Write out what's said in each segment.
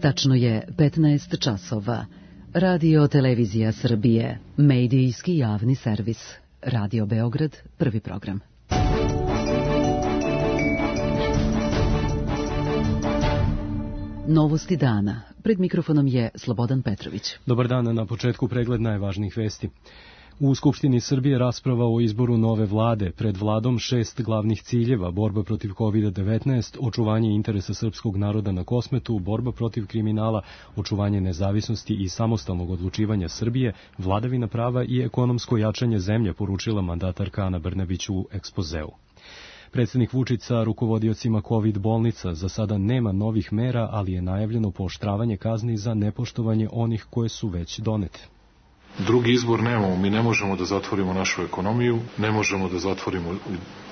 Tačno je 15 časova. Radio Televizija Srbije, medijski javni servis. Radio Beograd, prvi program. Novosti dana. Pred mikrofonom je Slobodan Petrović. Dobar dan, na početku pregled najvažnijih vesti. U Skupštini Srbije rasprava o izboru nove vlade. Pred vladom 6 glavnih ciljeva: borba protiv COVID-19, očuvanje interesa srpskog naroda na Kosmetu, borba protiv kriminala, očuvanje nezavisnosti i samostalnog odlučivanja Srbije, vladavina prava i ekonomsko jačanje zemlje, poručila mandatarka Ana Brnabić u ekspozeu. Predsjednik Vučić sa rukovodiocima COVID bolnica: za sada nema novih mera, ali je najavljeno pooštravanje kazni za nepoštovanje onih koje su već donete. Drugi izbor nemamo, mi ne možemo da zatvorimo našu ekonomiju, ne možemo da zatvorimo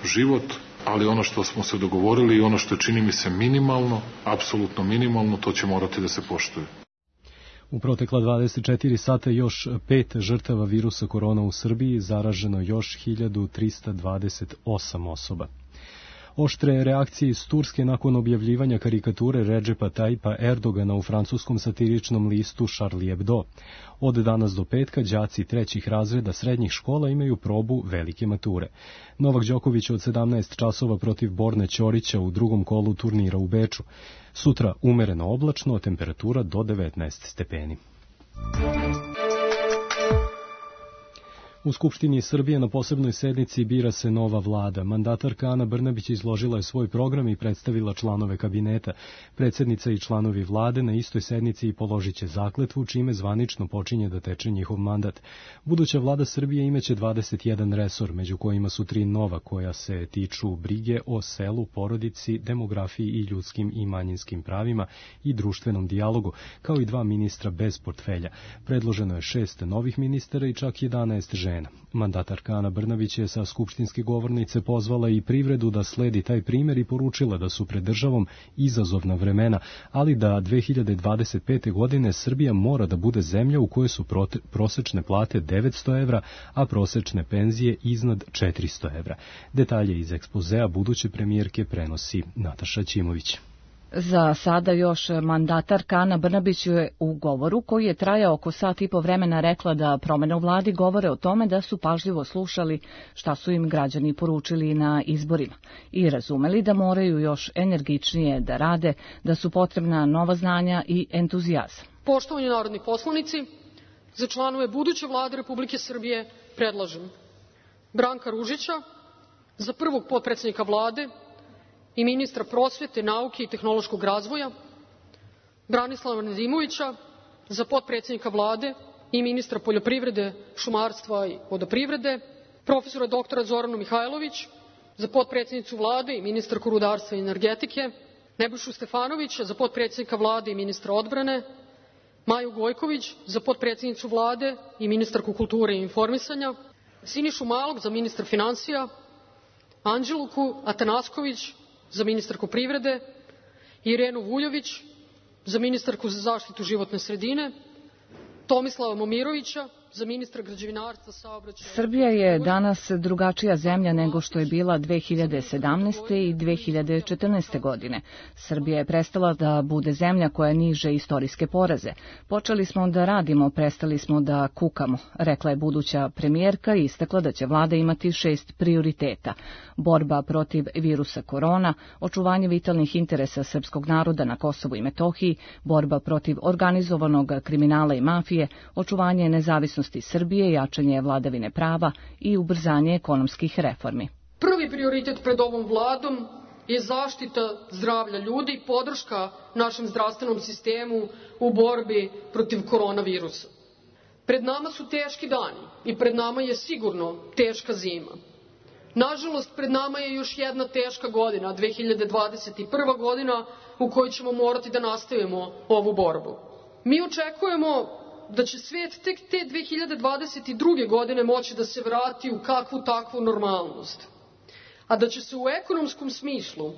život, ali ono što smo se dogovorili i ono što je, čini mi se, minimalno, apsolutno minimalno, to će morati da se poštuje. U protekla 24 sata još 5 žrtava virusa korona u Srbiji, zaraženo još 1328 osoba. Oštre reakcije iz Turske nakon objavljivanja karikature Redžepa Tayyipa Erdogana u francuskom satiričnom listu Charlie Hebdo. Od danas do petka đaci trećih razreda srednjih škola imaju probu velike mature. Novak Đoković od 17 časova protiv Borne Ćorića u drugom kolu turnira u Beču. Sutra umereno oblačno, temperatura do 19 stepeni. U Skupštini Srbije na posebnoj sednici bira se nova vlada. Mandatarka Ana Brnabić izložila je svoj program i predstavila članove kabineta. Predsjednica i članovi vlade na istoj sednici položit će zakletvu, čime zvanično počinje da teče njihov mandat. Buduća vlada Srbije imaće 21 resor, među kojima su 3 nova koja se tiču brige o selu, porodici, demografiji i ljudskim i manjinskim pravima i društvenom dijalogu, kao i 2 ministra bez portfelja. Predloženo je 6 novih ministara i čak 11 žena. Mandatarka Ana Brnabić je sa skupštinske govornice pozvala i privredu da sledi taj primjer i poručila da su pred državom izazovna vremena, ali da 2025. godine Srbija mora da bude zemlja u kojoj su prosečne plate 900 evra, a prosečne penzije iznad 400 evra. Detalje iz ekspozea buduće premijerke prenosi Nataša Ćimović. Za sada još mandatarka Ana Brnabić je u govoru, koji je trajao oko sat i po vremena, rekla da promjene u vladi govore o tome da su pažljivo slušali šta su im građani poručili na izborima i razumeli da moraju još energičnije da rade, da su potrebna nova znanja i entuzijazam. Poštovani narodni poslanici, za članove buduće vlade Republike Srbije predlažem Branka Ružića za prvog potpredsjednika vlade i ministra prosvete, nauke i tehnološkog razvoja, Branislava Nedimovića za potpredsjednika vlade i ministra poljoprivrede, šumarstva i vodoprivrede, profesora doktora Zoranu Mihajlović za potpredsjednicu vlade i ministarku rudarstva i energetike, Nebojšu Stefanovića za potpredsjednika vlade i ministra odbrane, Maju Gojković za potpredsjednicu vlade i ministarku kulture i informisanja, Sinišu Malog za ministra finansija, Anđeluku Atanasković za ministarku privrede, Irenu Vuljović za ministarku za zaštitu životne sredine, Tomislava Momirovića za ministra građevinarstva, saobraćaja. Srbija je danas drugačija zemlja nego što je bila 2017. i 2014. godine. Srbija je prestala da bude zemlja koja niže istorijske poraze. Počeli smo da radimo, prestali smo da kukamo, rekla je buduća premijerka i istakla da će vlada imati 6 prioriteta: borba protiv virusa korona, očuvanje vitalnih interesa srpskog naroda na Kosovu i Metohiji, borba protiv organizovanog kriminala i mafije, očuvanje nezavisnosti Srbije, jačanje vladavine prava i ubrzanje ekonomskih reformi. Prvi prioritet pred ovom vladom je zaštita zdravlja ljudi i podrška našem zdravstvenom sistemu u borbi protiv koronavirusa. Pred nama su teški dani i pred nama je sigurno teška zima. Nažalost, pred nama je još jedna teška godina, 2021. godina, u kojoj ćemo morati da nastavimo ovu borbu. Mi očekujemo da će svet tek te 2022. godine moći da se vrati u kakvu takvu normalnost, a da će se u ekonomskom smislu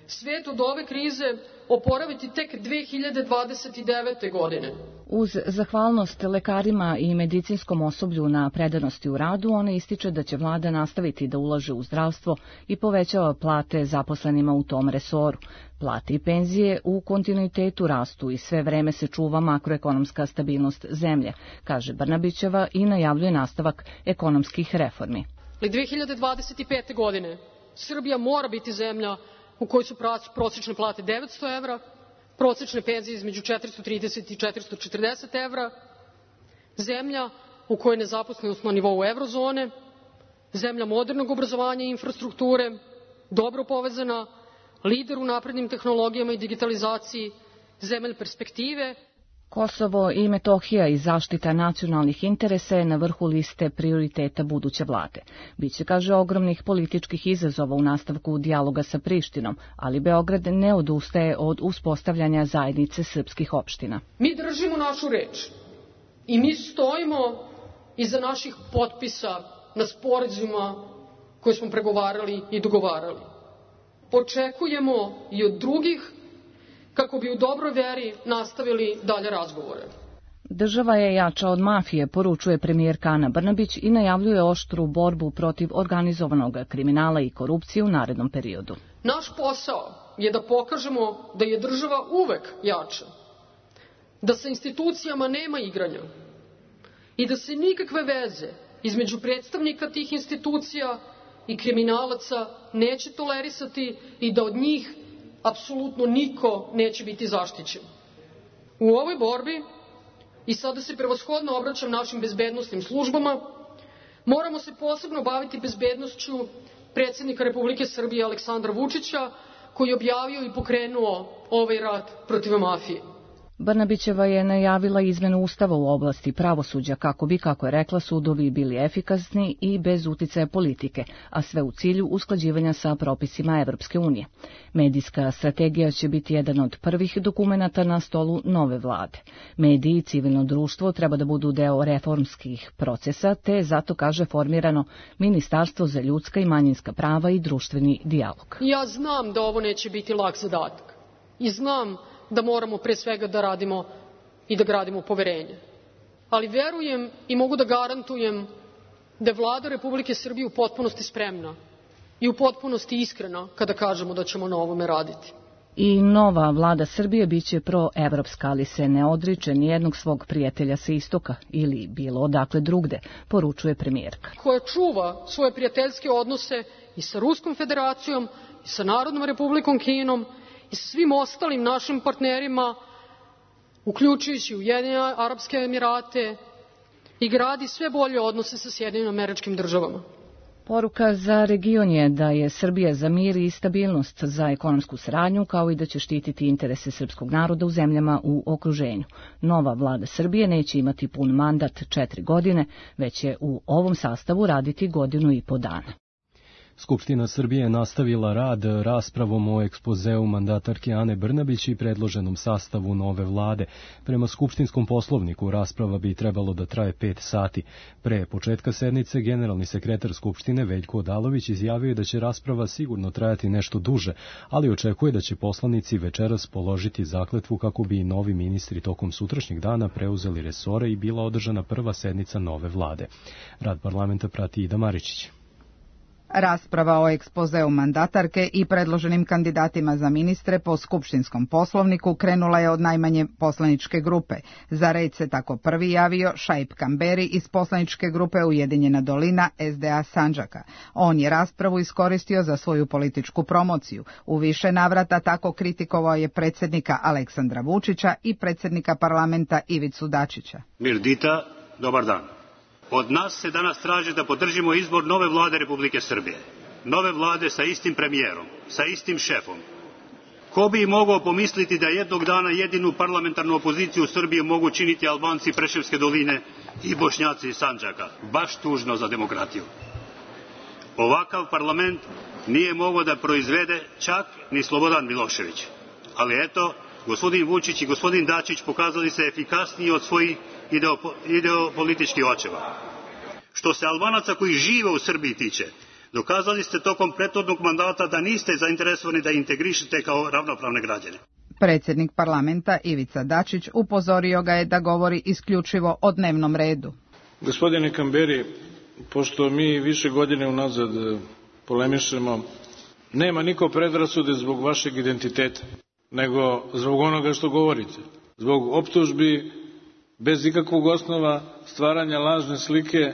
svet od ove krize oporaviti tek 2029. godine. Uz zahvalnost lekarima i medicinskom osoblju na predanosti u radu, ona ističe da će vlada nastaviti da ulaže u zdravstvo i povećava plate zaposlenima u tom resoru. Plate i penzije u kontinuitetu rastu i sve vreme se čuva makroekonomska stabilnost zemlje, kaže Brnabićeva i najavljuje nastavak ekonomskih reformi. 2025. godine Srbija mora biti zemlja u kojoj su prosečne plate 900 evra, prosečne penzije između 430 i 440 evra, zemlja u kojoj je nezaposlenost na nivou evrozone, zemlja modernog obrazovanja i infrastrukture, dobro povezana, lider u naprednim tehnologijama i digitalizaciji, zemlja perspektive. Kosovo i Metohija i zaštita nacionalnih interesa je na vrhu liste prioriteta buduće vlade. Biće, kaže, ogromnih političkih izazova u nastavku dijaloga sa Prištinom, ali Beograd ne odustaje od uspostavljanja zajednice srpskih opština. Mi držimo našu reč i mi stojimo iza naših potpisa na sporazumima koje smo pregovarali i dogovarali. Očekujemo i od drugih kako bi u dobroj veri nastavili dalje razgovore. Država je jača od mafije, poručuje premijerka Ana Brnabić i najavljuje oštru borbu protiv organizovanog kriminala i korupcije u narednom periodu. Naš posao je da pokažemo da je država uvek jača, da sa institucijama nema igranja i da se nikakve veze između predstavnika tih institucija i kriminalaca neće tolerisati i da od njih apsolutno niko neće biti zaštićen. U ovoj borbi, i sada se prevashodno obraćam našim bezbednosnim službama, moramo se posebno baviti bezbednošću predsjednika Republike Srbije Aleksandra Vučića, koji je objavio i pokrenuo ovaj rat protiv mafije. Brnabićeva je najavila izmenu ustava u oblasti pravosuđa kako bi, kako je rekla, sudovi bili efikasni i bez uticaja politike, a sve u cilju usklađivanja sa propisima Evropske unije. Medijska strategija će biti jedan od prvih dokumenata na stolu nove vlade. Mediji i civilno društvo treba da budu deo reformskih procesa, te zato, kaže, formirano Ministarstvo za ljudska i manjinska prava i društveni dijalog. Ja znam da ovo neće biti lak zadatak i znam da moramo pre svega da radimo i da gradimo poverenje. Ali verujem i mogu da garantujem da je Vlada Republike Srbije u potpunosti spremna i u potpunosti iskrena kada kažemo da ćemo na ovome raditi. I nova vlada Srbije biće proevropska, ali se ne odriče nijednog svog prijatelja sa istoka ili bilo odakle drugde, poručuje premijerka. Koja čuva svoje prijateljske odnose i sa Ruskom federacijom, i sa Narodnom republikom Kinom, i sa svim ostalim našim partnerima, uključujući Ujedinjene Arapske Emirate, i gradi sve bolje odnose sa Sjedinjenim Američkim Državama. Poruka za region je da je Srbija za mir i stabilnost, za ekonomsku saradnju, kao i da će štititi interese srpskog naroda u zemljama u okruženju. Nova vlada Srbije neće imati pun mandat 4 godine, već će u ovom sastavu raditi 1,5 godine. Skupština Srbije je nastavila rad raspravom o ekspozeu mandatarke Ane Brnabić i predloženom sastavu nove vlade. Prema skupštinskom poslovniku rasprava bi trebalo da traje 5 sati. Pre početka sednice generalni sekretar Skupštine Veljko Odalović izjavio da će rasprava sigurno trajati nešto duže, ali očekuje da će poslanici večeras položiti zakletvu kako bi novi ministri tokom sutrašnjeg dana preuzeli resore i bila održana prva sednica nove vlade. Rad parlamenta prati Ida Maričić. Rasprava o ekspozeu mandatarke i predloženim kandidatima za ministre po skupštinskom poslovniku krenula je od najmanje poslaničke grupe. Za red se tako prvi javio Šaip Kamberi iz poslaničke grupe Ujedinjena dolina SDA Sandžaka. On je raspravu iskoristio za svoju političku promociju. U više navrata tako kritikovao je predsjednika Aleksandra Vučića i predsjednika parlamenta Ivicu Dačića. Mirdita, dobar dan. Od nas se danas traži da podržimo izbor nove vlade Republike Srbije. Nove vlade sa istim premijerom, sa istim šefom. Ko bi mogao pomisliti da jednog dana jedinu parlamentarnu opoziciju u Srbiji mogu činiti Albanci Preševske doline i Bošnjaci iz Sandžaka. Baš tužno za demokratiju. Ovakav parlament nije mogao da proizvede čak ni Slobodan Milošević. Ali eto, gospodin Vučić i gospodin Dačić pokazali se efikasniji od svojih ideopolitičkih očeva. Što se Albanaca koji žive u Srbiji tiče, Dokazali ste tokom prethodnog mandata da niste zainteresovani da integrišete kao ravnopravne građane. Predsjednik parlamenta Ivica Dačić upozorio ga je da govori isključivo o dnevnom redu. Gospodine Kamberi, pošto mi više godine unazad polemišemo, nema niko predrasude zbog vašeg identiteta, nego zbog onoga što govorite. Zbog optužbi bez ikakvog osnova stvaranja lažne slike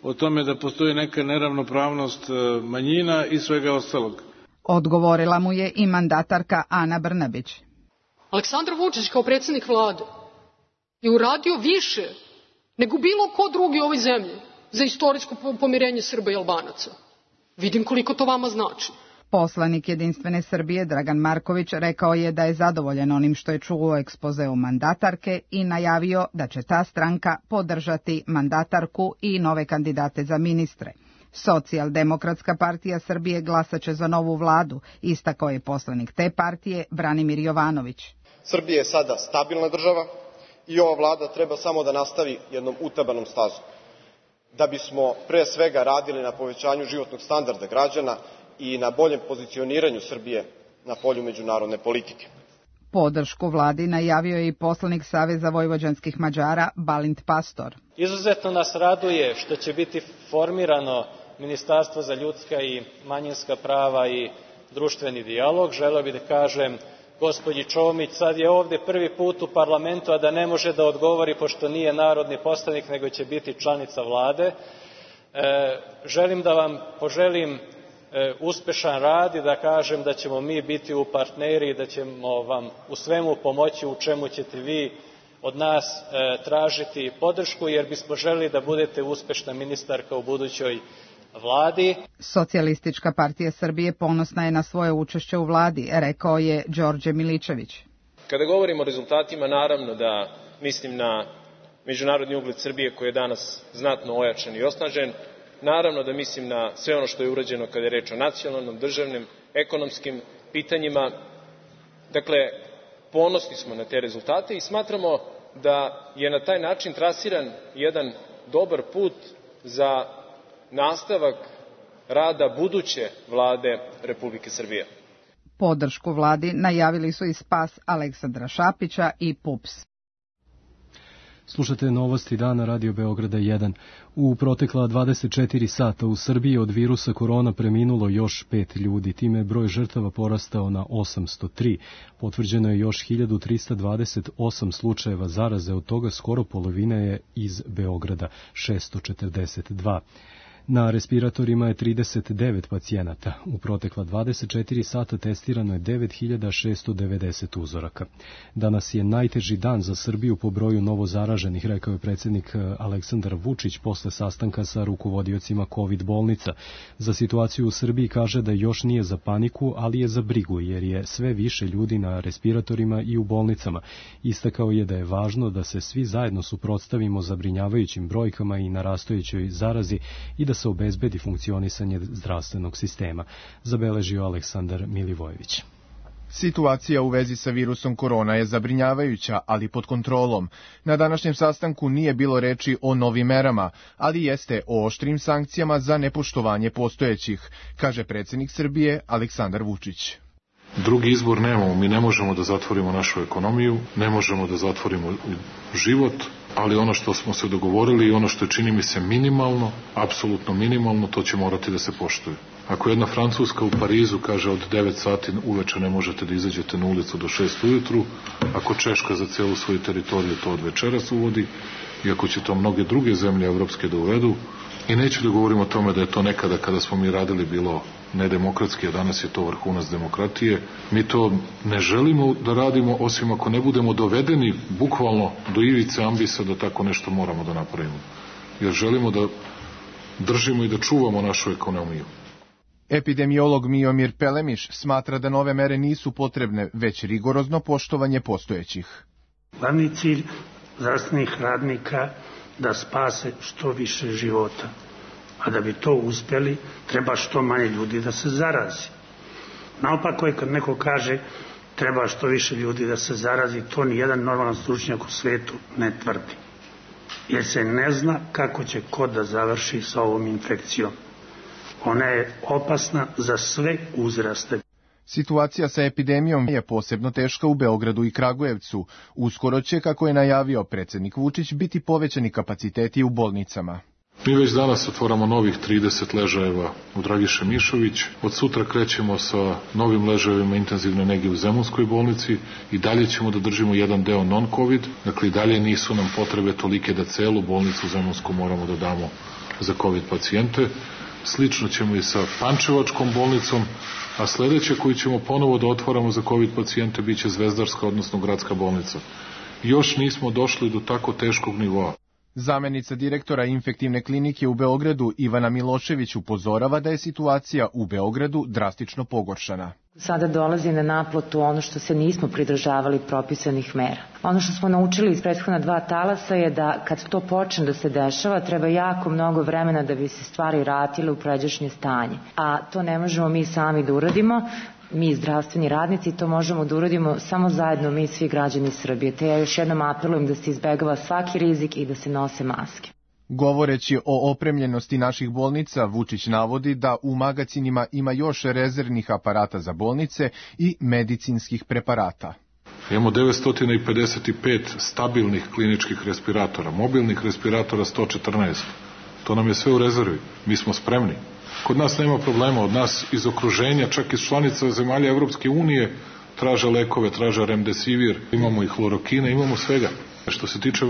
o tome da postoji neka neravnopravnost manjina i svega ostalog. Odgovorila mu je i mandatarka Ana Brnabić. Aleksandar Vučić kao predsjednik vlade je uradio više nego bilo ko drugi u ovoj zemlji za istorijsko pomirenje Srba i Albanaca. Vidim koliko to vama znači. Poslanik Jedinstvene Srbije Dragan Marković rekao je da je zadovoljan onim što je čuo u ekspozeu mandatarke i najavio da će ta stranka podržati mandatarku i nove kandidate za ministre. Socijaldemokratska partija Srbije glasaće za novu vladu, istakao je poslanik te partije Branimir Jovanović. Srbija je sada stabilna država i ova vlada treba samo da nastavi jednom utabanom stazom. Da bismo pre svega radili na povećanju životnog standarda građana i na boljem pozicioniranju Srbije na polju međunarodne politike. Podršku vladi najavio je i poslanik Saveza vojvođanskih Mađara Balint Pastor. Izuzetno nas raduje što će biti formirano Ministarstvo za ljudska i manjinska prava i društveni dijalog. Želeo bih da kažem gospođi Čomić, sad je ovde prvi put u parlamentu, a da ne može da odgovori pošto nije narodni poslanik, nego će biti članica vlade. Želim da vam poželim uspešan rad i da kažem da ćemo mi biti u partneri i da ćemo vam u svemu pomoći u čemu ćete vi od nas tražiti podršku, jer bismo želeli da budete uspešna ministarka u budućoj vladi. Socijalistička partija Srbije ponosna je na svoje učešće u vladi, rekao je Đorđe Miličević. Kada govorimo o rezultatima, naravno da mislim na međunarodni ugled Srbije koji je danas znatno ojačan i osnažen. Naravno da mislim na sve ono što je urađeno kada je reč o nacionalnom, državnim, ekonomskim pitanjima. Dakle, ponosni smo na te rezultate i smatramo da je na taj način trasiran jedan dobar put za nastavak rada buduće vlade Republike Srbije. Podršku vladi najavili su i spas Aleksandra Šapića i PUPS. Slušate novosti dana Radio Beograda 1. U protekla 24 sata u Srbiji od virusa korona preminulo još 5 ljudi. Time je broj žrtava porastao na 803. Potvrđeno je još 1328 slučajeva zaraze, od toga skoro polovina je iz Beograda, 642. Na respiratorima je 39 pacijenata. U protekla 24 sata testirano je 9690 uzoraka. Danas je najteži dan za Srbiju po broju novozaraženih, rekao je predsjednik Aleksandar Vučić posle sastanka sa rukovodiocima COVID bolnica. Za situaciju u Srbiji kaže da još nije za paniku, ali je za brigu, jer je sve više ljudi na respiratorima i u bolnicama. Istakao je da je važno da se svi zajedno suprotstavimo zabrinjavajućim brojkama i narastajućoj zarazi i da se obezbedi funkcionisanje zdravstvenog sistema, zabeležio Aleksandar Milivojević. Situacija u vezi sa virusom korona je zabrinjavajuća, ali pod kontrolom. Na današnjem sastanku nije bilo reči o novim merama, ali jeste o oštrim sankcijama za nepoštovanje postojećih, kaže predsjednik Srbije Aleksandar Vučić. Drugi izbor nemamo, mi ne možemo da zatvorimo našu ekonomiju, ne možemo da zatvorimo život, ali ono što smo se dogovorili i ono što je, čini mi se, minimalno, apsolutno minimalno, to će morati da se poštuje. Ako jedna Francuska u Parizu kaže od 9 sati uveče ne možete da izađete na ulicu do 6 ujutru, ako Češka za celu svoju teritoriju to od večeras uvodi, i ako će to mnoge druge zemlje evropske da uvedu, i neću da govorim o tome da je to nekada kada smo mi radili bilo nedemokratski, a danas je to vrhunac demokratije. Mi to ne želimo da radimo, osim ako ne budemo dovedeni bukvalno do ivice ambisa da tako nešto moramo da napravimo. Jer želimo da držimo i da čuvamo našu ekonomiju. Epidemiolog Miomir Pelemiš smatra da nove mere nisu potrebne, već rigorozno poštovanje postojećih. Glavni cilj zdravstvenih radnika da spase što više života. A da bi to uspjeli, treba što manje ljudi da se zarazi. Naopako je kad neko kaže treba što više ljudi da se zarazi, to ni jedan normalan stručnjak u svetu ne tvrdi. Jer se ne zna kako će ko da završi sa ovom infekcijom. Ona je opasna za sve uzraste. Situacija sa epidemijom je posebno teška u Beogradu i Kragujevcu. Uskoro će, kako je najavio predsjednik Vučić, biti povećani kapaciteti u bolnicama. Mi već danas otvaramo novih 30 ležajeva u Dragiše Mišović. Od sutra krećemo sa novim ležajevima intenzivne nege u Zemunskoj bolnici i dalje ćemo da držimo jedan deo non-covid. Dakle, i dalje nisu nam potrebe tolike da celu bolnicu Zemunsku moramo da damo za covid pacijente. Slično ćemo i sa Pančevačkom bolnicom, a sledeće koju ćemo ponovo da otvaramo za covid pacijente biće Zvezdarska, odnosno Gradska bolnica. Još nismo došli do tako teškog nivoa. Zamenica direktora infektivne klinike u Beogradu Ivana Milošević upozorava da je situacija u Beogradu drastično pogoršana. Sada dolazi na naplatu ono što se nismo pridržavali propisanih mera. Ono što smo naučili iz prethodna 2 talasa je da kad to počne da se dešava, treba jako mnogo vremena da bi se stvari vratile u pređašnje stanje. A to ne možemo mi sami da uradimo. Mi, zdravstveni radnici, to možemo da uradimo samo zajedno mi, svi građani Srbije. Te ja još jednom apelujem da se izbegava svaki rizik i da se nose maske. Govoreći o opremljenosti naših bolnica, Vučić navodi da u magacinima ima još rezervnih aparata za bolnice i medicinskih preparata. Imamo 955 stabilnih kliničkih respiratora, mobilnih respiratora 114. To nam je sve u rezervi. Mi smo spremni. Kod nas nema problema, od nas iz okruženja, čak iz članica zemalja Evropske unije, traže lekove, traže remdesivir, imamo i hlorokine, imamo svega. Što se tiče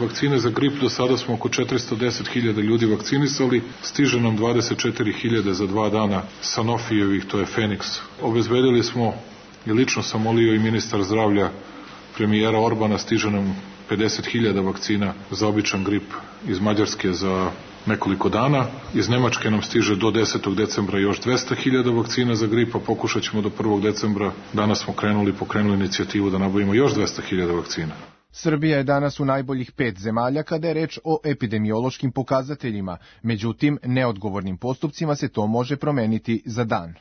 vakcine za grip, do sada smo oko 410.000 ljudi vakcinisali, stiže nam 24.000 za 2 dana Sanofijevih, to je Feniks. Obezbedili smo, i lično sam molio i ministar zdravlja, premijera Orbana, stiže nam 50.000 vakcina za običan grip iz Mađarske za nekoliko dana. Iz Nemačke nam stiže do 10. decembra još 200.000 vakcina za grip, a pokušat ćemo do 1. decembra. Danas smo pokrenuli inicijativu da nabavimo još 200.000 vakcina. Srbija je danas u najboljih 5 zemalja kada je reč o epidemiološkim pokazateljima, međutim, neodgovornim postupcima se to može promeniti za dan.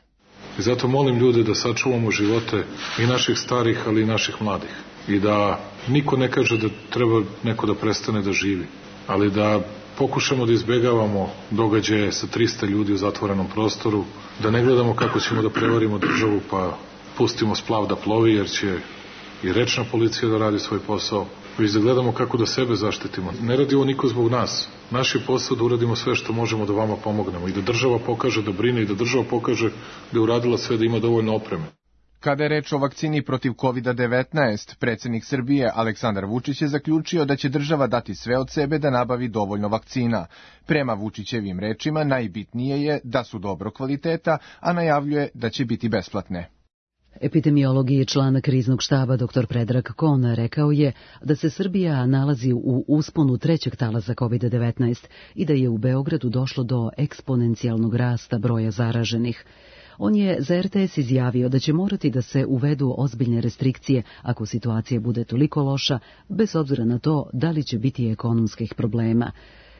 I zato molim ljude da sačuvamo živote i naših starih, ali i naših mladih. I da niko ne kaže da treba neko da prestane da živi, ali da pokušamo da izbegavamo događaje sa 300 ljudi u zatvorenom prostoru, da ne gledamo kako ćemo da prevarimo državu pa pustimo splav da plovi jer će i rečna policija da radi svoj posao, već da gledamo kako da sebe zaštitimo. Ne radi ovo niko zbog nas. Naš je posao da uradimo sve što možemo da vama pomognemo i da država pokaže da brine i da država pokaže da je uradila sve da ima dovoljno opreme. Kada je reč o vakcini protiv COVID-19, predsjednik Srbije Aleksandar Vučić je zaključio da će država dati sve od sebe da nabavi dovoljno vakcina. Prema Vučićevim rečima najbitnije je da su dobro kvaliteta, a najavljuje da će biti besplatne. Epidemiolog i član kriznog štaba dr. Predrag Kon rekao je da se Srbija nalazi u usponu 3. talasa COVID-19 i da je u Beogradu došlo do eksponencijalnog rasta broja zaraženih. On je za RTS izjavio da će morati da se uvedu ozbiljne restrikcije ako situacija bude toliko loša, bez obzira na to da li će biti ekonomskih problema.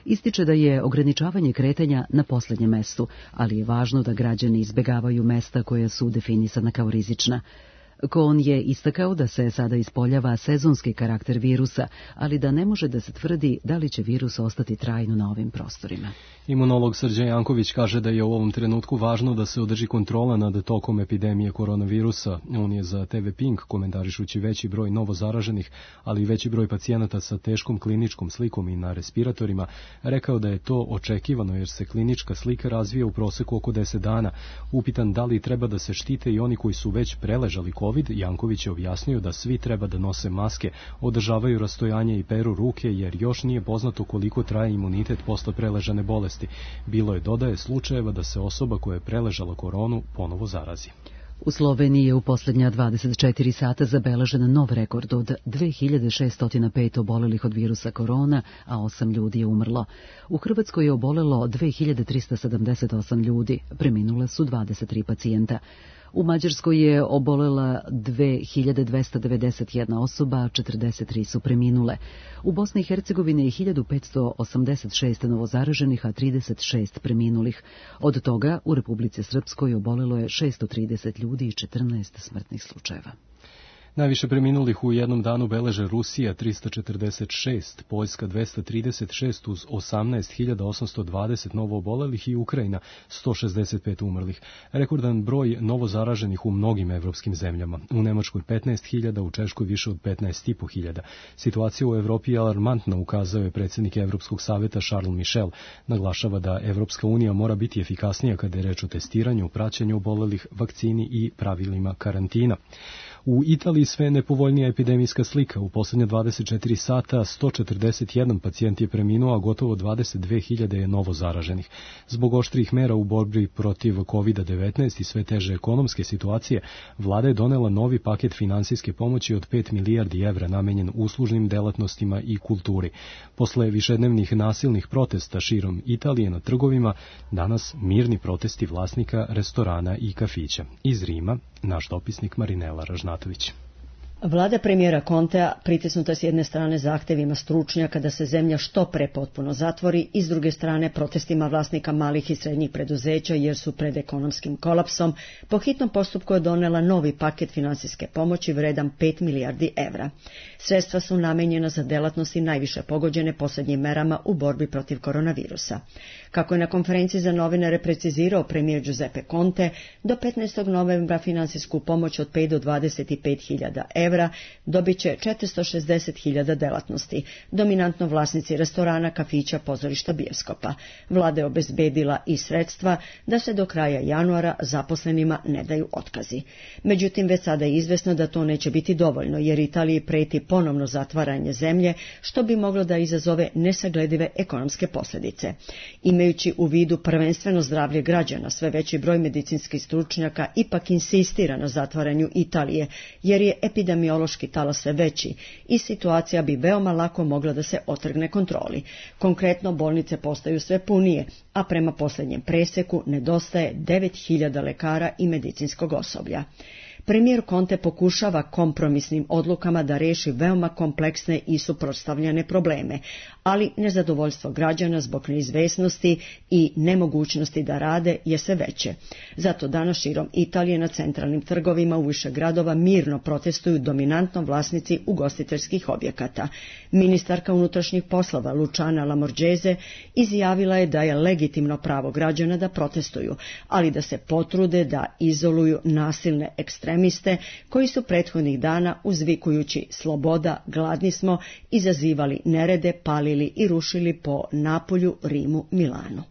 Ističe da je ograničavanje kretanja na posljednjem mestu, ali je važno da građani izbegavaju mesta koja su definisana kao rizična. Kon je istakao da se sada ispoljava sezonski karakter virusa, ali da ne može da se tvrdi da li će virus ostati trajno na ovim prostorima. Imunolog Srđan Janković kaže da je u ovom trenutku važno da se održi kontrola nad tokom epidemije koronavirusa. On je za TV Pink, komentarišući veći broj novozaraženih, ali i veći broj pacijenata sa teškom kliničkom slikom i na respiratorima, rekao da je to očekivano jer se klinička slika razvija u proseku oko 10 dana. Upitan da li treba da se štite i oni koji su već preležali COVID, Janković je objasnio da svi treba da nose maske, održavaju rastojanje i peru ruke jer još nije poznato koliko traje imunitet posle preležane bolesti. Bilo je, dodaje, slučajeva da se osoba koja je preležala koronu ponovo zarazi. U Sloveniji je u posljednja 24 sata zabeležen nov rekord od 2605 obolelih od virusa korona, a 8 ljudi je umrlo. U Hrvatskoj je obolelo 2378 ljudi, preminule su 23 pacijenta. U Mađarskoj je obolela 2291 osoba, 43 su preminule. U Bosni i Hercegovini je 1586 novozaraženih, a 36 preminulih. Od toga u Republici Srpskoj obolelo je 630 ljudi i 14 smrtnih slučajeva. Najviše preminulih u jednom danu beleže Rusija 346, Poljska 236 uz 18.820 novoobolelih i Ukrajina 165 umrlih. Rekordan broj novozaraženih u mnogim evropskim zemljama. U Nemačkoj 15.000, u Češkoj više od 15.500. Situacija u Evropi je alarmantna, ukazao je predsjednik Evropskog saveta Charles Michel. Naglašava da Evropska unija mora biti efikasnija kada je reč o testiranju, praćenju obolelih, vakcini i pravilima karantina. U Italiji sve nepovoljnija epidemijska slika. U posljednje 24 sata 141 pacijent je preminuo, a gotovo 22.000 je novo zaraženih. Zbog oštrih mera u borbi protiv COVID-19 i sve teže ekonomske situacije, vlada je donela novi paket finansijske pomoći od 5 milijardi evra namenjen uslužnim delatnostima i kulturi. Posle višednevnih nasilnih protesta širom Italije na trgovima, danas mirni protesti vlasnika restorana i kafića. Iz Rima, naš dopisnik Marinela Ražnatović. Vlada premijera Contea pritisnuta s jedne strane zahtevima stručnjaka da se zemlja što pre potpuno zatvori i s druge strane protestima vlasnika malih i srednjih preduzeća jer su pred ekonomskim kolapsom, po hitnom postupku je donela novi paket finansijske pomoći vredan 5 milijardi evra. Sredstva su namenjena za delatnosti najviše pogođene posljednjim merama u borbi protiv koronavirusa. Kako je na konferenciji za novinare precizirao premijer Giuseppe Conte, do 15. novembra finansijsku pomoć od 5 do 25.000 evra dobit će 460.000 delatnosti, dominantno vlasnici restorana, kafića, pozorišta, bioskopa. Vlada je obezbedila i sredstva da se do kraja januara zaposlenima ne daju otkazi. Međutim, već sada je izvesno da to neće biti dovoljno, jer Italiji preti ponovno zatvaranje zemlje, što bi moglo da izazove nesagledive ekonomske posljedice. Imajući u vidu prvenstveno zdravlje građana, sve veći broj medicinskih stručnjaka ipak insistira na zatvaranju Italije, jer je epidemiološki talas sve veći i situacija bi veoma lako mogla da se otrgne kontroli. Konkretno, bolnice postaju sve punije, a prema posljednjem preseku nedostaje 9.000 lekara i medicinskog osoblja. Premijer Conte pokušava kompromisnim odlukama da reši veoma kompleksne i suprotstavljene probleme, ali nezadovoljstvo građana zbog neizvesnosti i nemogućnosti da rade je sve veće. Zato danas širom Italije na centralnim trgovima u više gradova mirno protestuju dominantno vlasnici ugostiteljskih objekata. Ministarka unutrašnjih poslova Luciana Lamorgese izjavila je da je legitimno pravo građana da protestuju, ali da se potrude da izoluju nasilne ekstremiste koji su prethodnih dana uzvikujući sloboda, gladni smo, izazivali nerede, palili i rušili po Napolju, Rimu, Milanu.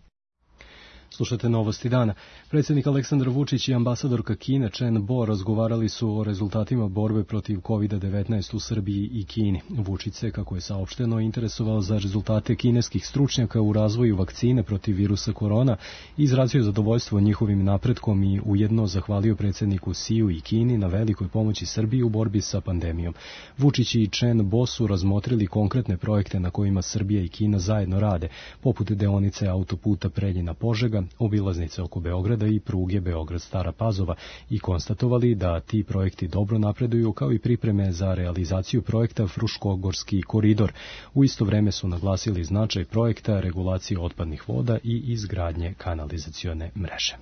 Slušate novosti dana. Predsjednik Aleksandar Vučić i ambasadorka Kine Chen Bo razgovarali su o rezultatima borbe protiv COVID-19 u Srbiji i Kini. Vučić se, kako je saopšteno, interesovao za rezultate kineskih stručnjaka u razvoju vakcine protiv virusa korona i izrazio zadovoljstvo njihovim napretkom i ujedno zahvalio predsjedniku Siju i Kini na velikoj pomoći Srbiji u borbi sa pandemijom. Vučić i Chen Bo su razmotrili konkretne projekte na kojima Srbija i Kina zajedno rade, poput deonice autoputa Preljina-Požega, obilaznice oko Beograda i pruge Beograd-Stara Pazova i konstatovali da ti projekti dobro napreduju kao i pripreme za realizaciju projekta Fruškogorski koridor. U isto vreme su naglasili značaj projekta regulacije otpadnih voda i izgradnje kanalizacione mreže.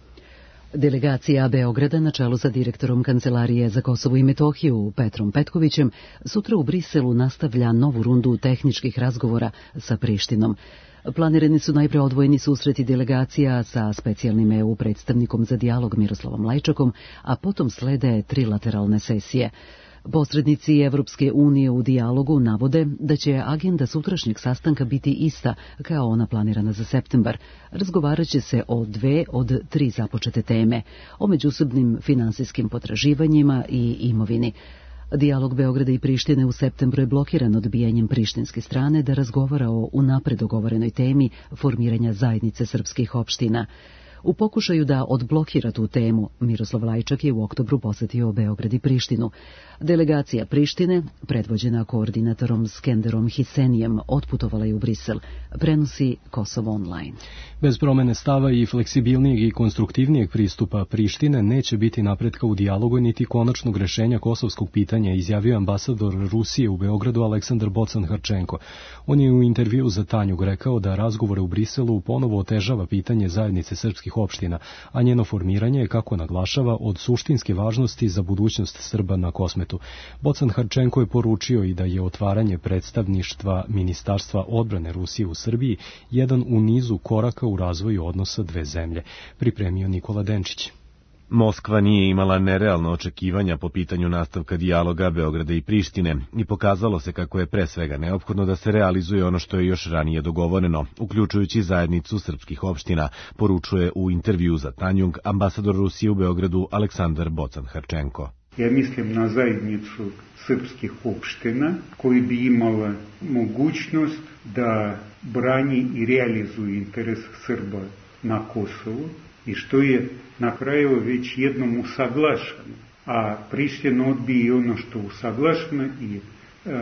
Delegacija Beograda na čelu sa direktorom Kancelarije za Kosovo i Metohiju Petrom Petkovićem sutra u Briselu nastavlja novu rundu tehničkih razgovora sa Prištinom. Planirani su najpre odvojeni susreti delegacija sa specijalnim EU predstavnikom za dijalog Miroslavom Lajčakom, a potom slede trilateralne sesije. Posrednici Evropske unije u dijalogu navode da će agenda sutrašnjeg sastanka biti ista kao ona planirana za septembar. Razgovarat će se o 2 od 3 započete teme, o međusobnim finansijskim potraživanjima i imovini. Dijalog Beograda i Prištine u septembru je blokiran odbijanjem prištinske strane da razgovara o unapred dogovorenoj temi formiranja zajednice srpskih opština. U pokušaju da odblokira tu temu, Miroslav Lajčak je u oktobru posetio Beograd i Prištinu. Delegacija Prištine, predvođena koordinatorom Skenderom Hisenijem, otputovala je u Brisel, prenosi Kosovo online. Bez promene stava i fleksibilnijeg i konstruktivnijeg pristupa Prištine neće biti napretka u dijalogu niti konačnog rešenja kosovskog pitanja, izjavio ambasador Rusije u Beogradu Aleksandar Bocan-Harčenko. On je u intervju za Tanjug rekao da razgovore u Briselu ponovo otežava pitanje zajednice srpskih srpskih opština, a njeno formiranje je, kako naglašava, od suštinske važnosti za budućnost Srba na Kosmetu. Bocan Harčenko je poručio i da je otvaranje predstavništva Ministarstva odbrane Rusije u Srbiji jedan u nizu koraka u razvoju odnosa dve zemlje, pripremio Nikola Denčić. Moskva nije imala nerealna očekivanja po pitanju nastavka dijaloga Beograda i Prištine i pokazalo se kako je pre svega neophodno da se realizuje ono što je još ranije dogovoreno, uključujući zajednicu srpskih opština, poručuje u intervju za Tanjung ambasador Rusije u Beogradu Aleksandar Bocan Harčenko. Ja mislim na zajednicu srpskih opština koji bi imala mogućnost da brani i realizuje interes Srba na Kosovu i što je na kraju već jednom usaglašeno, a Priština odbije ono što usaglašeno i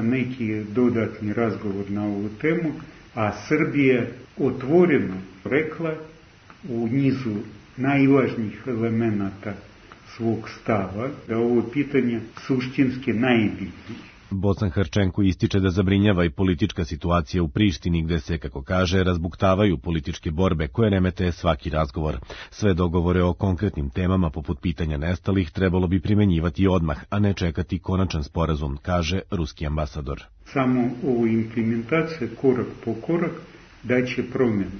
neki dodatni razgovor na ovu temu, a Srbija otvoreno rekla u nizu najvažnijih elemenata svog stava da ovo pitanje suštinski najbitnije. Bocan Harčenko ističe da zabrinjava i politička situacija u Prištini gde se, kako kaže, razbuktavaju političke borbe koje remete svaki razgovor. Sve dogovore o konkretnim temama poput pitanja nestalih trebalo bi primenjivati odmah, a ne čekati konačan sporazum, kaže ruski ambasador. Samo ovo implementacija korak po korak daće promjene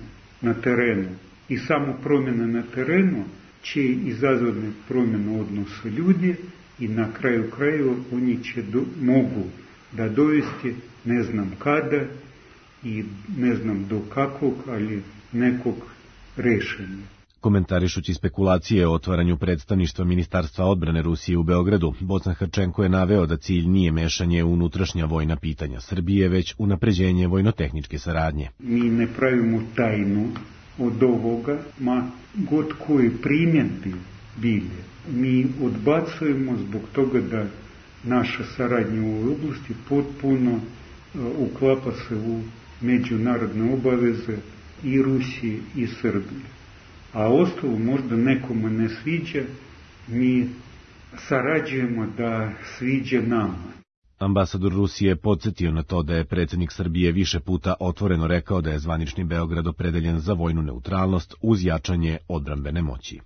na terenu i samo promjena na terenu će izazvati promjenu odnosa ljudi i na kraju krajeva oni će mogu da dovesti ne znam kada i ne znam do kakvog, ali nekog rešenja. Komentarišući spekulacije o otvaranju predstavništva Ministarstva odbrane Rusije u Beogradu, Bocan Harčenko je naveo da cilj nije mešanje u unutrašnja vojna pitanja Srbije, već unapređenje vojno-tehničke saradnje. Mi ne pravimo tajnu od ovoga, ma god koji primjedbi bili. Mi odbacujemo zbog toga da naša saradnja u ovoj oblasti potpuno uklapa se u međunarodne obaveze i Rusije i Srbije. A ostalo možda nekome ne sviđa, mi sarađujemo da sviđa nama. Ambasador Rusije je podsjetio na to da je predsjednik Srbije više puta otvoreno rekao da je zvanični Beograd opredeljen za vojnu neutralnost uz jačanje odbrambene moći.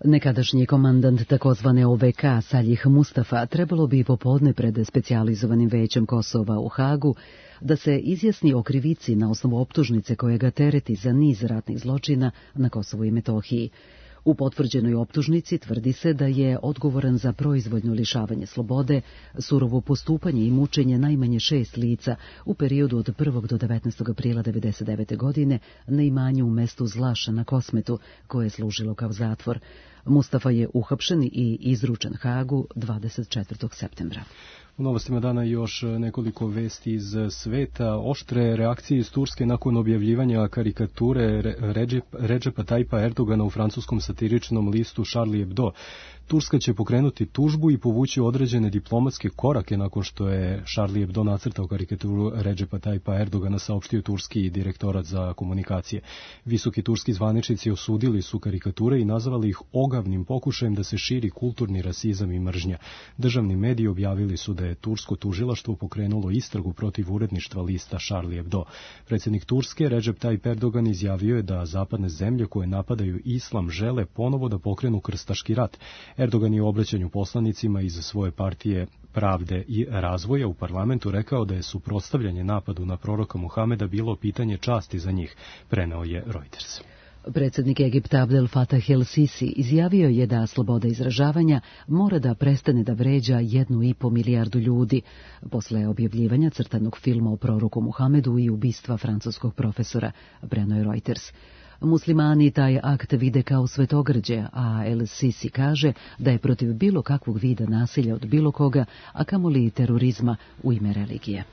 Nekadašnji komandant takozvane OVK Saljih Mustafa trebalo bi popodne pred specijalizovanim većem Kosova u Hagu da se izjasni o krivici na osnovu optužnice koje ga tereti za niz ratnih zločina na Kosovu i Metohiji. U potvrđenoj optužnici tvrdi se da je odgovoran za proizvoljno lišavanje slobode, surovo postupanje i mučenje najmanje 6 lica u periodu od 1. do 19. aprila 1999. godine na imanju u mestu Zlaša na Kosmetu, koje je služilo kao zatvor. Mustafa je uhapšen i izručen Hagu 24. septembra. U novostima dana još nekoliko vesti iz sveta. Oštre reakcije iz Turske nakon objavljivanja karikature Redžepa Tajpa Erdogana u francuskom satiričnom listu Charlie Hebdo. Turska će pokrenuti tužbu i povući određene diplomatske korake nakon što je Charlie Hebdo nacrtao karikaturu Redžepa Tajpa Erdogana, saopštio turski direktorat za komunikacije. Visoki turski zvaničnici osudili su karikature i nazvali ih ogavnim pokušajem da se širi kulturni rasizam i mržnja. Državni mediji objavili su da je tursko tužilaštvo pokrenulo istragu protiv uredništva lista Charlie Hebdo. Predsjednik Turske Recep Tayyip Erdogan izjavio je da zapadne zemlje koje napadaju islam žele ponovo da pokrenu krstaški rat. Erdogan je u obraćanju poslanicima iz svoje partije Pravde i razvoja u parlamentu rekao da je suprotstavljanje napadu na proroka Muhameda bilo pitanje časti za njih, preneo je Reuters. Predsjednik Egipta Abdel Fattah el-Sisi izjavio je da sloboda izražavanja mora da prestane da vređa 1,5 milijardu ljudi posle objavljivanja crtanog filma o proroku Muhamedu i ubistva francuskog profesora, preneo je Reuters. Muslimani taj akt vide kao svetogrđe, a el-Sisi kaže da je protiv bilo kakvog vida nasilja od bilo koga, a kamoli terorizma u ime religije.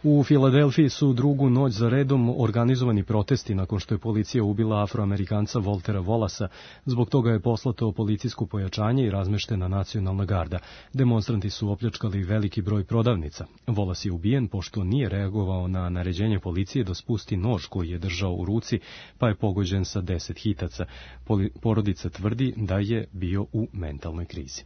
U Filadelfiji su drugu noć za redom organizovani protesti nakon što je policija ubila Afroamerikanca Voltera Wallacea. Zbog toga je poslato policijsko pojačanje i razmeštena nacionalna garda. Demonstranti su opljačkali veliki broj prodavnica. Wallace je ubijen pošto nije reagovao na naređenje policije da spusti nož koji je držao u ruci, pa je pogođen sa 10 hitaca. Porodica tvrdi da je bio u mentalnoj krizi.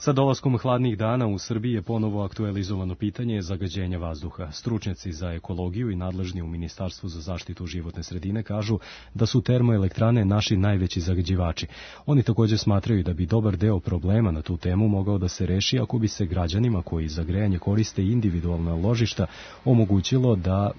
Sa dolaskom hladnih dana u Srbiji je ponovo aktualizovano pitanje zagađenja vazduha. Stručnjaci za ekologiju i nadležni u Ministarstvu za zaštitu životne sredine kažu da su termoelektrane naši najveći zagađivači. Oni također smatraju da bi dobar deo problema na tu temu mogao da se reši ako bi se građanima koji za grejanje koriste individualna ložišta omogućilo da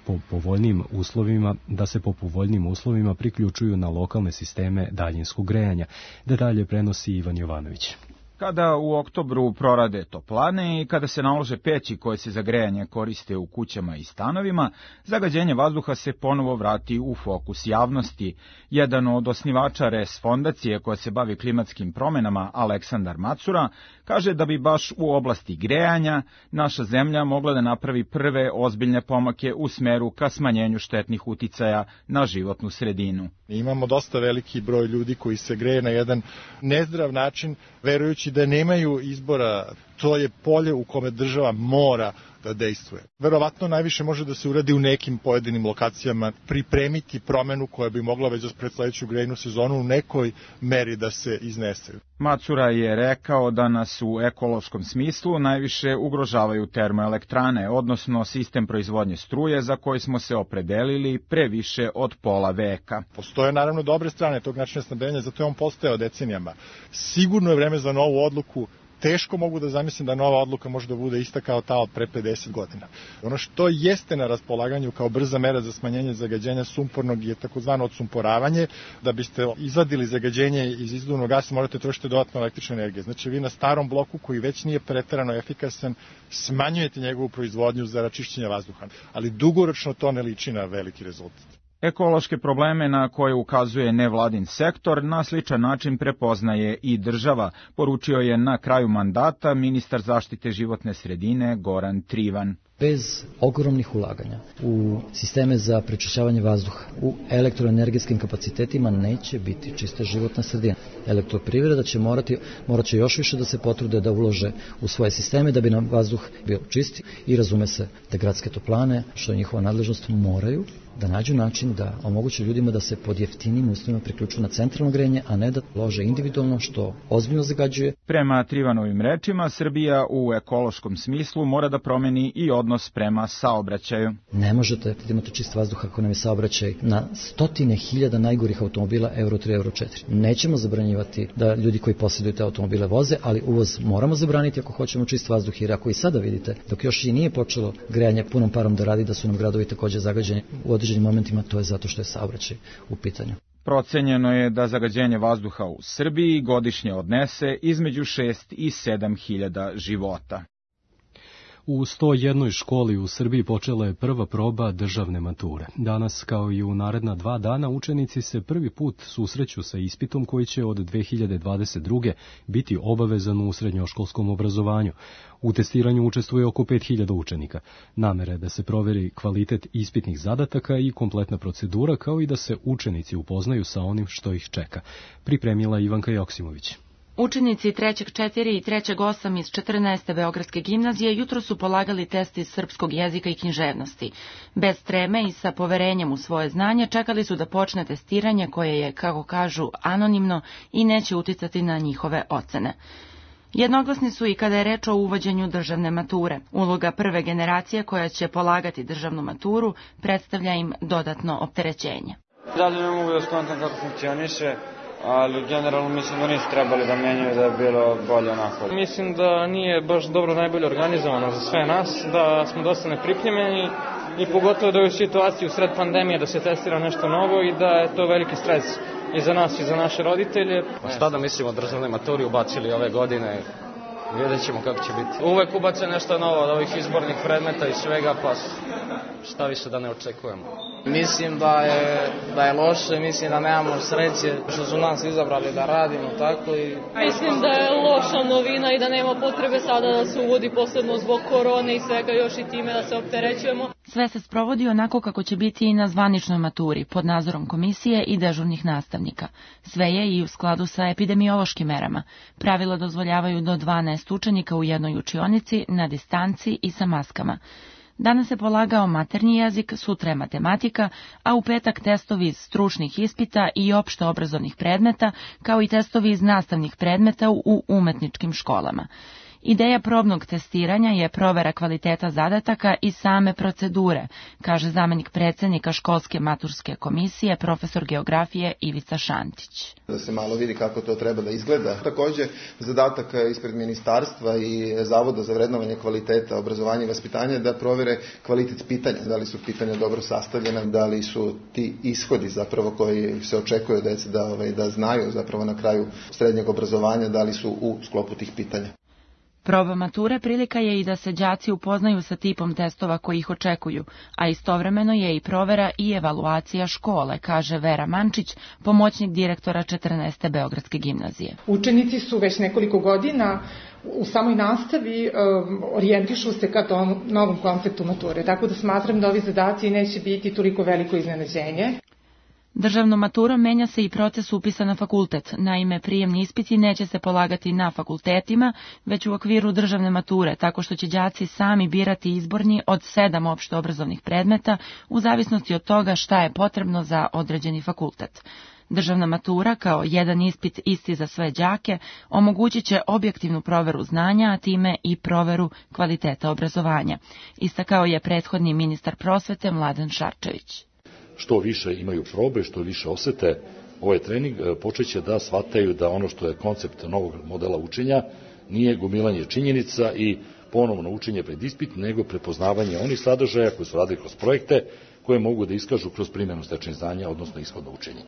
se po povoljnim uslovima priključuju na lokalne sisteme daljinskog grejanja. Detalje prenosi Ivan Jovanović. Kada u oktobru prorade toplane i kada se nalože peći koje se za grejanje koriste u kućama i stanovima, zagađenje vazduha se ponovo vrati u fokus javnosti. Jedan od osnivača RES fondacije koja se bavi klimatskim promenama, Aleksandar Macura, kaže da bi baš u oblasti grejanja naša zemlja mogla da napravi prve ozbiljne pomake u smeru ka smanjenju štetnih uticaja na životnu sredinu. Imamo dosta veliki broj ljudi koji se greje na jedan nezdrav način, verujući da nemaju izbora. To je polje u kome država mora da dejstvuje. Verovatno najviše može da se uradi u nekim pojedinim lokacijama, pripremiti promenu koja bi mogla već pred sledeću grejnu sezonu u nekoj meri da se iznese. Macura je rekao da nas u ekološkom smislu najviše ugrožavaju termoelektrane, odnosno sistem proizvodnje struje za koji smo se opredelili pre više od pola veka. Postoje naravno dobre strane tog načina snabdevanja, zato je on postojao decenijama. Sigurno je vreme za novu odluku. Teško mogu da zamislim da nova odluka može da bude ista kao ta od pre 50 godina. Ono što jeste na raspolaganju kao brza mera za smanjenje zagađenja sumpornog je takozvano odsumporavanje. Da biste izvadili zagađenje iz izduvnog gasa morate trošiti dodatno električne energije. Znači vi na starom bloku koji već nije preterano efikasan smanjujete njegovu proizvodnju za račišćenje vazduha. Ali dugoročno to ne liči na veliki rezultat. Ekološke probleme na koje ukazuje nevladin sektor na sličan način prepoznaje i država, poručio je na kraju mandata ministar zaštite životne sredine Goran Trivan. Bez ogromnih ulaganja u sisteme za prečišćavanje vazduha, u elektroenergetskim kapacitetima neće biti čista životna sredina. Elektroprivreda će morat će još više da se potrude da ulože u svoje sisteme da bi nam vazduh bio čisti i razume se da gradske toplane, što je njihova nadležnost, moraju da nađu način da omoguće ljudima da se pod jeftinim uslovima priključuju na centralno grejanje, a ne da lože individualno, što ozbiljno zagađuje. Prema Trivanovim rečima, Srbija u ekološkom smislu mora da promeni i odnos prema saobraćaju. Ne možete da imate čist vazduh ako nam je saobraćaj na stotine hiljada najgorih automobila Euro 3, Euro 4. Nećemo zabranjivati da ljudi koji posjeduju te automobile voze, ali uvoz moramo zabraniti ako hoćemo čist vazduh, jer ako i sada vidite, dok još i nije počelo grejanje punom parom da radi, da su nam gradovi također zagađeni u određenim momentima, to je zato što je saobraćaj u pitanju. Procenjeno je da zagađenje vazduha u Srbiji godišnje odnese između 6 i 7 hiljada života. U 101 školi u Srbiji počela je prva proba državne mature. Danas, kao i u naredna 2 dana, učenici se prvi put susreću sa ispitom koji će od 2022. biti obavezan u srednjoškolskom obrazovanju. U testiranju učestvuje oko 5000 učenika. Namera je da se proveri kvalitet ispitnih zadataka i kompletna procedura, kao i da se učenici upoznaju sa onim što ih čeka. Pripremila Ivanka Joksimović. Učenici 3. 4. i 3. 8 iz 14. Beogradske gimnazije jutro su polagali test iz srpskog jezika i književnosti. Bez treme i sa poverenjem u svoje znanje čekali su da počne testiranje koje je, kako kažu, anonimno i neće uticati na njihove ocene. Jednoglasni su i kada je reč o uvođenju državne mature. Uloga prve generacije koja će polagati državnu maturu predstavlja im dodatno opterećenje. Dalje ne mogu da skontam kako funkcioniše, ali generalno mislim da nisu trebali da menjaju, da je bilo bolje onako. Mislim da nije baš dobro najbolje organizovano za sve nas, da smo dosta nepripremljeni i pogotovo da je u situaciji u sred pandemije da se testira nešto novo i da je to veliki stres i za nas i za naše roditelje. Šta da mislimo o državnoj maturi ubacili ove godine, vidjet ćemo kako će biti. Uvek ubace nešto novo od ovih izbornih predmeta i svega, pa šta više da ne očekujemo. Mislim da je loše, mislim da nemamo sreće što su nas izabrali da radimo tako i... Mislim da je loša novina i da nema potrebe sada da se uvodi posebno zbog korone i svega još i time da se opterećujemo. Sve se sprovodi onako kako će biti i na zvaničnoj maturi, pod nadzorom komisije i dežurnih nastavnika. Sve je i u skladu sa epidemiološkim merama. Pravila dozvoljavaju do 12 učenika u jednoj učionici, na distanci i sa maskama. Danas se polagao maternji jezik, sutra je matematika, a u petak testovi iz stručnih ispita i opšte obrazovnih predmeta, kao i testovi iz nastavnih predmeta u umetničkim školama. Ideja probnog testiranja je provera kvaliteta zadataka i same procedure, kaže zamenik predsednika školske maturske komisije, profesor geografije Ivica Šantić. Da se malo vidi kako to treba da izgleda. Takođe, zadatak ispred ministarstva i Zavoda za vrednovanje kvaliteta obrazovanja i vaspitanja da provere kvalitet pitanja, da li su pitanja dobro sastavljena, da li su ti ishodi zapravo koji se očekuju od dece da znaju zapravo na kraju srednjeg obrazovanja, da li su u sklopu tih pitanja. Proba mature prilika je i da se đaci upoznaju sa tipom testova koji ih očekuju, a istovremeno je i provera i evaluacija škole, kaže Vera Mančić, pomoćnik direktora 14. Beogradske gimnazije. Učenici su već nekoliko godina u samoj nastavi orijentišu se ka tom novom konceptu mature, tako da smatram da ovi zadaci neće biti toliko veliko iznenađenje. Državnom maturom menja se i proces upisa na fakultet. Naime, prijemni ispiti neće se polagati na fakultetima, već u okviru državne mature, tako što će đaci sami birati izborni od 7 opšte obrazovnih predmeta, u zavisnosti od toga šta je potrebno za određeni fakultet. Državna matura, kao jedan ispit isti za sve đake, omogućit će objektivnu proveru znanja, a time i proveru kvaliteta obrazovanja. Istakao je prethodni ministar prosvete Mladen Šarčević. Što više imaju probe, što više osete ovaj trening, počeće da shvataju da ono što je koncept novog modela učenja nije gomilanje činjenica i ponovno učenje pred ispit, nego prepoznavanje onih sadržaja koji su radili kroz projekte, koje mogu da iskažu kroz primjenu stečenih znanja, odnosno ishodno učenje.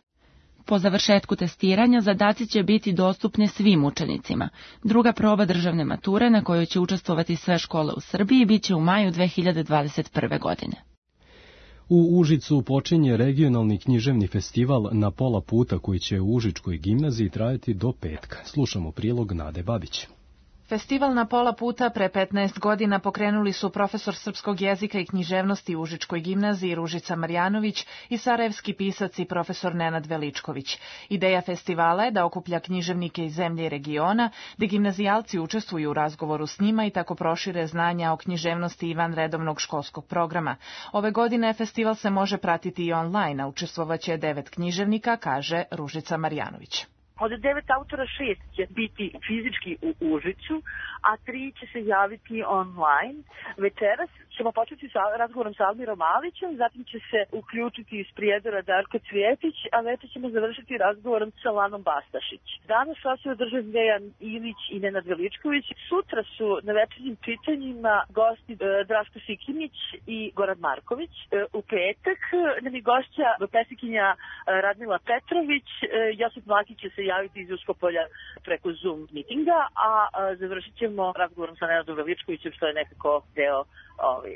Po završetku testiranja zadaci će biti dostupni svim učenicima. Druga proba državne mature na kojoj će učestvovati sve škole u Srbiji biće u maju 2021. godine. U Užicu počinje regionalni književni festival Na pola puta koji će u Užičkoj gimnaziji trajati do petka. Slušamo prilog Nade Babić. Festival Na pola puta pre 15 godina pokrenuli su profesor srpskog jezika i književnosti u Užičkoj gimnaziji Ružica Marjanović i sarajevski pisac i profesor Nenad Veličković. Ideja festivala je da okuplja književnike iz zemlje i regiona, da gimnazijalci učestvuju u razgovoru s njima i tako prošire znanja o književnosti i van redovnog školskog programa. Ove godine festival se može pratiti i online, a učestvovaće 9 književnika, kaže Ružica Marjanović. Od 9 autora 6 će biti fizički u Užicu, a 3 će se javiti online. Večeras ćemo početi sa razgovorom sa Almirom Malićem, zatim će se uključiti iz Prijedora Darko Cvjetić, a večer ćemo završiti razgovorom sa Lanom Bastašić. Danas vas je održan Dejan Ilić i Nenad Veličković. Sutra su na večernjim čitanjima gosti Draško Sikimić i Goran Marković. U petak nam je gošća pesnikinja Radmila Petrović. Josip Mlakić će se javiti iz Uskopolja preko Zoom mitinga, a završit ćemo razgovorom sa Nenadom Veličkovićem, što je nekako deo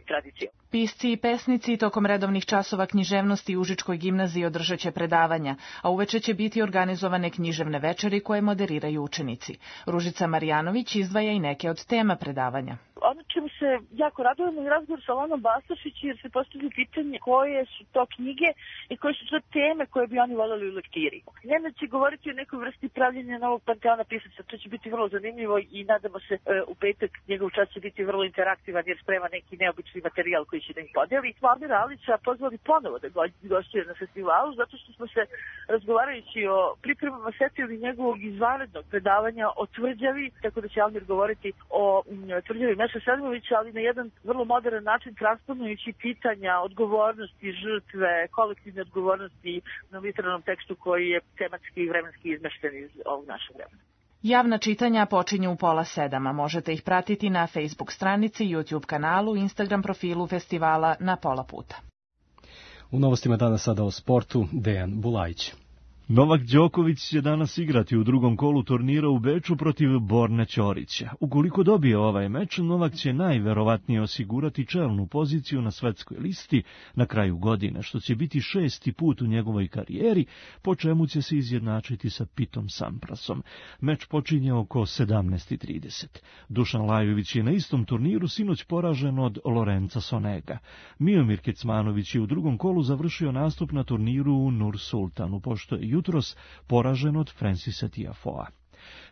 tradicije. Pisci i pesnici tokom redovnih časova književnosti u Užičkoj gimnaziji održat će predavanja, a uveče će biti organizovane književne večeri koje moderiraju učenici. Ružica Marjanović izdvaja i neke od tema predavanja. Ono čemu se jako radujemo je razgovor sa Lanom Bastašić, jer se postavlja pitanje koje su to knjige i koje su to teme koje bi oni voljeli u lektiri. Nenad će govoriti o nekoj vrsti pravljenja novog panteona pisaca, to će biti vrlo zanimljivo i nadamo se u petak njegov čas će biti vrlo interaktivan jer sprema neki neobični materijal koji će da ih podeli. Almira Alića pozvali ponovo da gostuje na festivalu, zato što smo se razgovarajući o pripremama setili njegovog izvanrednog predavanja o tvrđavi, tako da će Almir govoriti o tvrđavi Meša Selimovića, ali na jedan vrlo modern način transponujući pitanja odgovornosti, žrtve, kolektivne odgovornosti na literarnom tekstu koji je tematski i vremenski izmešten iz ovog našeg vremena. Javna čitanja počinju u 6:30, a možete ih pratiti na Facebook stranici, YouTube kanalu, Instagram profilu festivala Na pola puta. U novostima danas sada o sportu, Dejan Bulajić. Novak Đoković će danas igrati u drugom kolu turnira u Beču protiv Borne Ćorića. Ukoliko dobije ovaj meč, Novak će najverovatnije osigurati čelnu poziciju na svetskoj listi na kraju godine, što će biti 6. put u njegovoj karijeri, po čemu će se izjednačiti sa Pitom Samprasom. Meč počinje oko 17:30. Dušan Lajović je na istom turniru sinoć poražen od Lorenza Sonega. Miomir Kecmanović je u drugom kolu završio nastup na turniru u Nur Sultanu, pošto je jutros poražen od Francisa Tiafoea.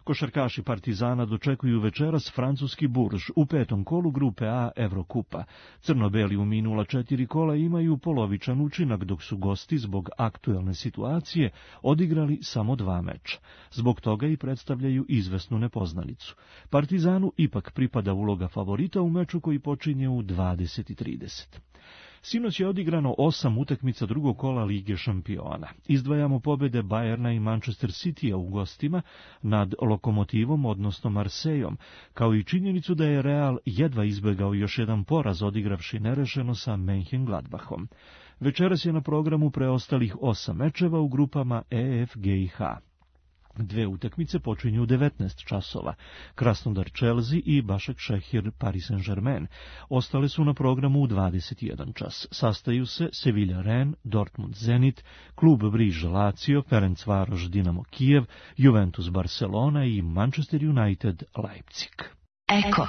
Košarkaši Partizana dočekuju večeras francuski Burž u 5. kolu grupe A Evrokupa. Crno-beli u minula 4 kola imaju polovičan učinak, dok su gosti zbog aktuelne situacije odigrali samo 2 meča. Zbog toga i predstavljaju izvesnu nepoznanicu. Partizanu ipak pripada uloga favorita u meču koji počinje u 20:30. Sinoć je odigrano 8 utakmica drugog kola Lige šampiona. Izdvajamo pobede Bayerna i Manchester Citya u gostima nad Lokomotivom, odnosno Marsejom, kao i činjenicu da je Real jedva izbegao još jedan poraz odigravši nerešeno sa Mönchengladbachom. Večeras je na programu preostalih 8 mečeva u grupama E, F, G i H. 2 utakmice počinju u 19 časova, Krasnodar Chelsea i Başak Šehir Paris Saint-Germain. Ostale su na programu u 21 čas. Sastaju se Sevilla Rennes, Dortmund Zenit, Klub Briž Lazio, Ferencvaroš Dinamo Kijev, Juventus Barcelona i Manchester United Leipzig. Eko.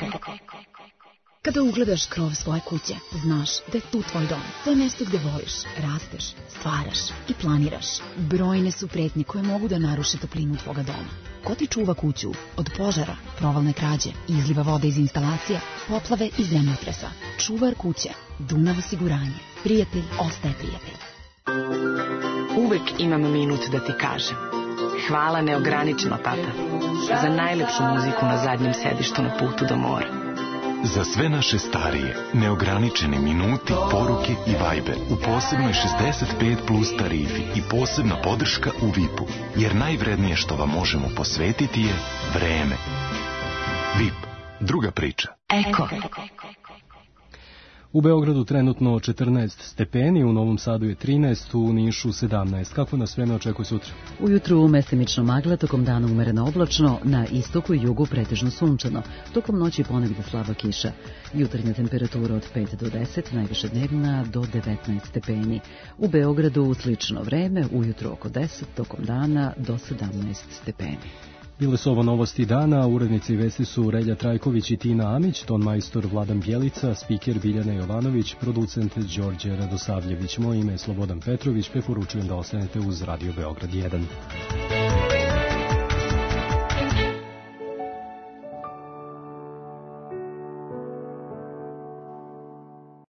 Kada ugledaš krov svoje kuće, znaš da je tu tvoj dom. To je mesto gde voliš, rasteš, stvaraš i planiraš. Brojne su pretnje koje mogu da naruše toplinu tvoga doma. Ko ti čuva kuću od požara, provalne krađe, izliva vode iz instalacija, poplave i zemljotresa? Čuvar kuće, Dunav osiguranje. Prijatelj ostaje prijatelj. Uvek imam minut da ti kažem. Hvala neograničeno, tata, za najlepšu muziku na zadnjem sedištu na putu do mora. Za sve naše starije, neograničeni minuti, poruke i Viber u posebnoj 65 plus tarifi i posebna podrška u VIP-u, jer najvrednije što vam možemo posvetiti je vreme. VIP, druga priča. Eko. U Beogradu trenutno 14 stepeni, u Novom Sadu je 13, u Nišu 17. Kako nas vreme očekuje sutra? Ujutru mestimično magla, tokom dana umereno oblačno, na istoku i jugu pretežno sunčano, tokom noći ponegde slaba kiša. Jutarnja temperatura od 5 do 10, najviše dnevna do 19 stepeni. U Beogradu slično vreme, ujutru oko 10, tokom dana do 17 stepeni. Bile su ovo novosti dana, urednici vesti su Relja Trajković i Tina Amić, ton majstor Vladan Bjelica, spiker Biljana Jovanović, producent Đorđe Radosavljević. Moje ime je Slobodan Petrović, preporučujem da ostanete uz Radio Beograd 1.